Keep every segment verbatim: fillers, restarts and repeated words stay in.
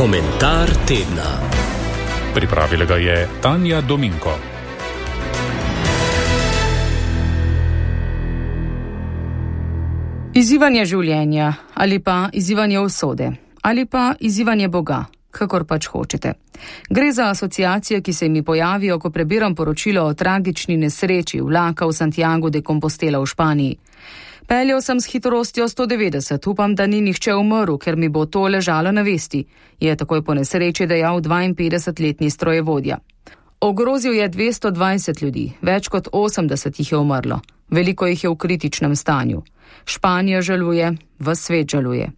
Komentar tedna. Pripravila ga je Tanja Dominko. Izzivanje življenja ali pa izzivanje usode ali pa izzivanje Boga, kakor pač hočete. Gre za asociacije, ki se mi pojavijo, ko prebiram poročilo o tragični nesreči vlaka v Santiago de Compostela v Španiji. Peljal sem s hitrostjo sto devetdeset, upam, da ni nihče umrl, ker mi bo to ležalo na vesti, je takoj po nesreči dejal dvainpetdesetletni strojevodja. Ogrozil je dvesto dvajset ljudi, več kot osemdeset jih je umrlo, veliko jih je v kritičnem stanju. Španija žaluje, ves svet žaluje.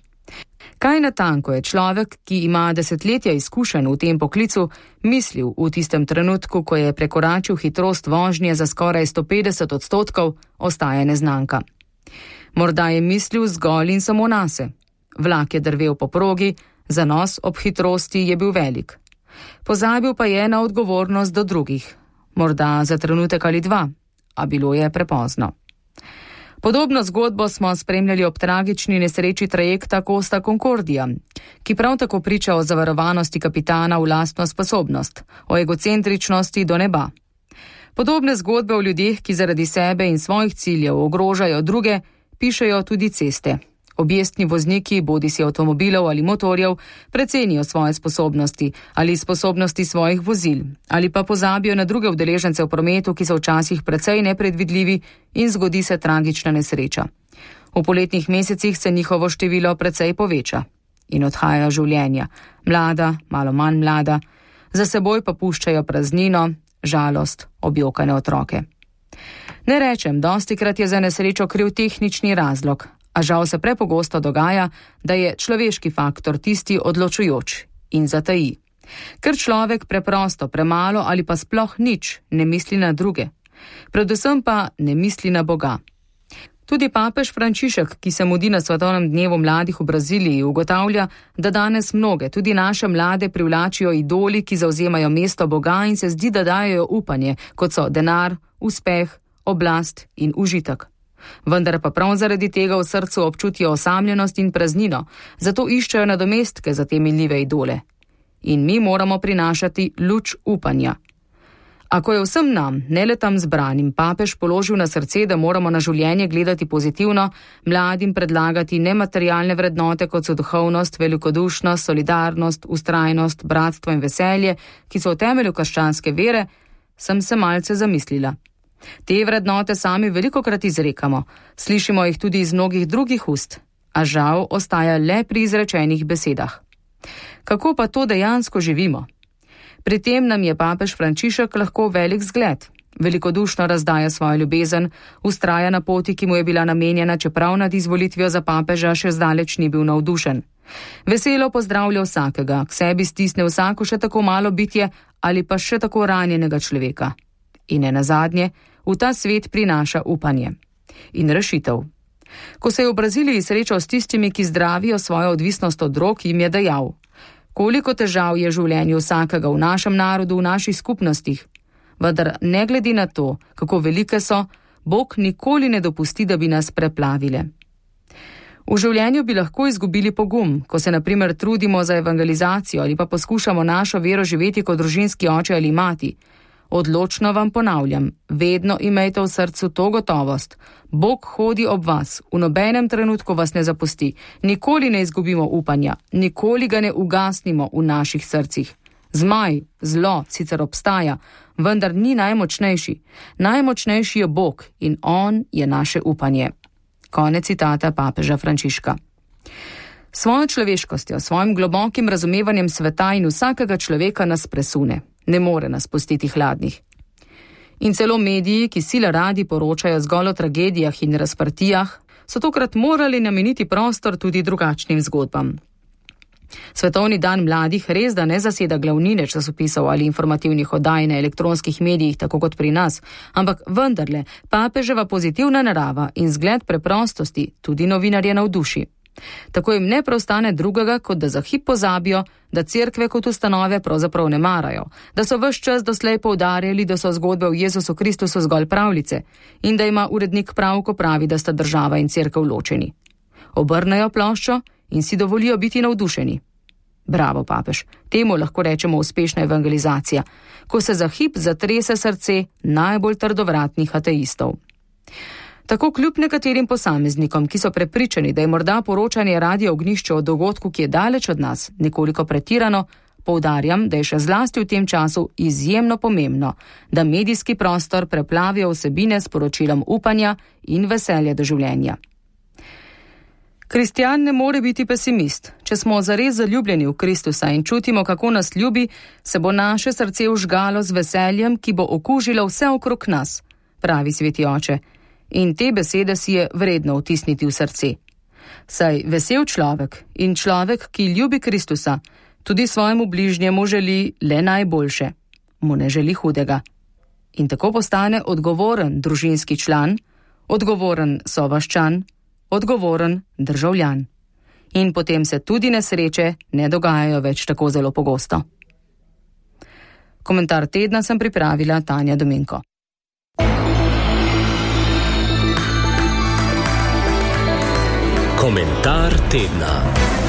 Kaj natanko je človek, ki ima desetletja izkušenj v tem poklicu, mislil v tistem trenutku, ko je prekoračil hitrost vožnje za skoraj sto petdeset odstotkov, ostaja neznanka. Morda je mislil zgolj in samo nase. Vlak je drvel po progi, zanos ob hitrosti je bil velik. Pozabil pa je na odgovornost do drugih. Morda za trenutek ali dva, a bilo je prepozno. Podobno zgodbo smo spremljali ob tragični nesreči trajekta Costa Concordia, ki prav tako priča o zavarovanosti kapitana v lastno sposobnost, o egocentričnosti do neba. Podobne zgodbe o ljudeh, ki zaradi sebe in svojih ciljev ogrožajo druge, pišejo tudi ceste. Objestni vozniki, bodisi avtomobilov ali motorjev, precenijo svoje sposobnosti ali sposobnosti svojih vozil, ali pa pozabijo na druge udeležence v prometu, ki so včasih precej nepredvidljivi in zgodi se tragična nesreča. V poletnih mesecih se njihovo število precej poveča in odhajajo življenja, mlada, malo manj mlada, za seboj pa puščajo praznino, žalost, objokane otroke. Ne rečem, dostikrat je za nesrečo kriv tehnični razlog, a žal se prepogosto dogaja, da je človeški faktor tisti odločujoč in zataji. Ker človek preprosto premalo ali pa sploh nič ne misli na druge. Predvsem pa ne misli na Boga. Tudi papež Frančišek, ki se mudi na svetovnem dnevu mladih v Braziliji, ugotavlja, da danes mnoge, tudi naše mlade, privlačijo idoli, ki zauzemajo mesto Boga in se zdi, da dajejo upanje, kot so denar, uspeh, oblast in užitek. Vendar pa prav zaradi tega v srcu občutijo osamljenost in praznino, zato iščejo nadomestke za te minljive idole. In mi moramo prinašati luč upanja. Ako je vsem nam, ne le tam zbranim, papež položil na srce, da moramo na življenje gledati pozitivno, mladim predlagati nematerialne vrednote, kot so duhovnost, velikodušnost, solidarnost, vztrajnost, bratstvo in veselje, ki so v temelju krščanske vere, sem se malce zamislila. Te vrednote sami velikokrat izrekamo, slišimo jih tudi iz mnogih drugih ust, a žal ostaja le pri izrečenih besedah. Kako pa to dejansko živimo? Pri tem nam je papež Frančišek lahko velik zgled. Velikodušno razdaja svojo ljubezen, vztraja na poti, ki mu je bila namenjena, čeprav nad izvolitvijo za papeža še zdaleč ni bil navdušen. Veselo pozdravlja vsakega, k sebi stisne vsako še tako malo bitje ali pa še tako ranjenega človeka. In ne nazadnje, v ta svet prinaša upanje in rešitev. Ko se je v Braziliji srečal s tistimi, ki zdravijo svojo odvisnost od drog, jim je dejal: koliko težav je v življenju vsakega v našem narodu, v naših skupnostih. Vendar ne glede na to, kako velike so, Bog nikoli ne dopusti, da bi nas preplavile. V življenju bi lahko izgubili pogum, ko se na primer trudimo za evangelizacijo ali pa poskušamo našo vero živeti kot družinski oče ali mati. Odločno vam ponavljam, vedno imejte v srcu to gotovost. Bog hodi ob vas, v nobenem trenutku vas ne zapusti, nikoli ne izgubimo upanja, nikoli ga ne ugasnimo v naših srcih. Zmaj, zlo sicer obstaja, vendar ni najmočnejši. Najmočnejši je Bog in on je naše upanje. Konec citata papeža Frančiška. Svojo človeškostjo, svojim globokim razumevanjem sveta in vsakega človeka nas presune. Ne more nas pustiti hladnih. In celo mediji, ki sila radi poročajo zgolj o tragedijah in razprtijah, so tokrat morali nameniti prostor tudi drugačnim zgodbam. Svetovni dan mladih res da ne zaseda glavnine časopisov ali informativnih oddaj na elektronskih medijih, tako kot pri nas, ampak vendarle papeževa pozitivna narava in zgled preprostosti tudi novinarje navduši. Tako jim ne preostane drugega, kot da za hip pozabijo, da cerkve kot ustanove pravzaprav ne marajo, da so ves čas doslej poudarjali, da so zgodbe o Jezusu Kristusu zgolj pravljice in da ima urednik prav, ko pravi, da sta država in cerkev ločeni. Obrnejo ploščo in si dovolijo biti navdušeni. Bravo, papež. Temu lahko rečemo uspešna evangelizacija, ko se za hip zatrese srce najbolj trdovratnih ateistov. Tako kljub nekaterim posameznikom, ki so prepričani, da je morda poročanje Radia Ognjišče o dogodku, ki je daleč od nas, nekoliko pretirano, poudarjam, da je še zlasti v tem času izjemno pomembno, da medijski prostor preplavijo vsebine s poročilom upanja in veselja do življenja. Kristjan ne more biti pesimist. Če smo zares zaljubljeni v Kristusa in čutimo, kako nas ljubi, se bo naše srce užgalo z veseljem, ki bo okužilo vse okrog nas, pravi sveti oče. In te besede si je vredno vtisniti v srce. Saj vesel človek in človek, ki ljubi Kristusa, tudi svojemu bližnjemu želi le najboljše, mu ne želi hudega. In tako postane odgovoren družinski član, odgovoren sovaščan, odgovoren državljan. In potem se tudi nesreče ne dogajajo več tako zelo pogosto. Komentar tedna sem pripravila Tanja Dominko. Komentar tedna.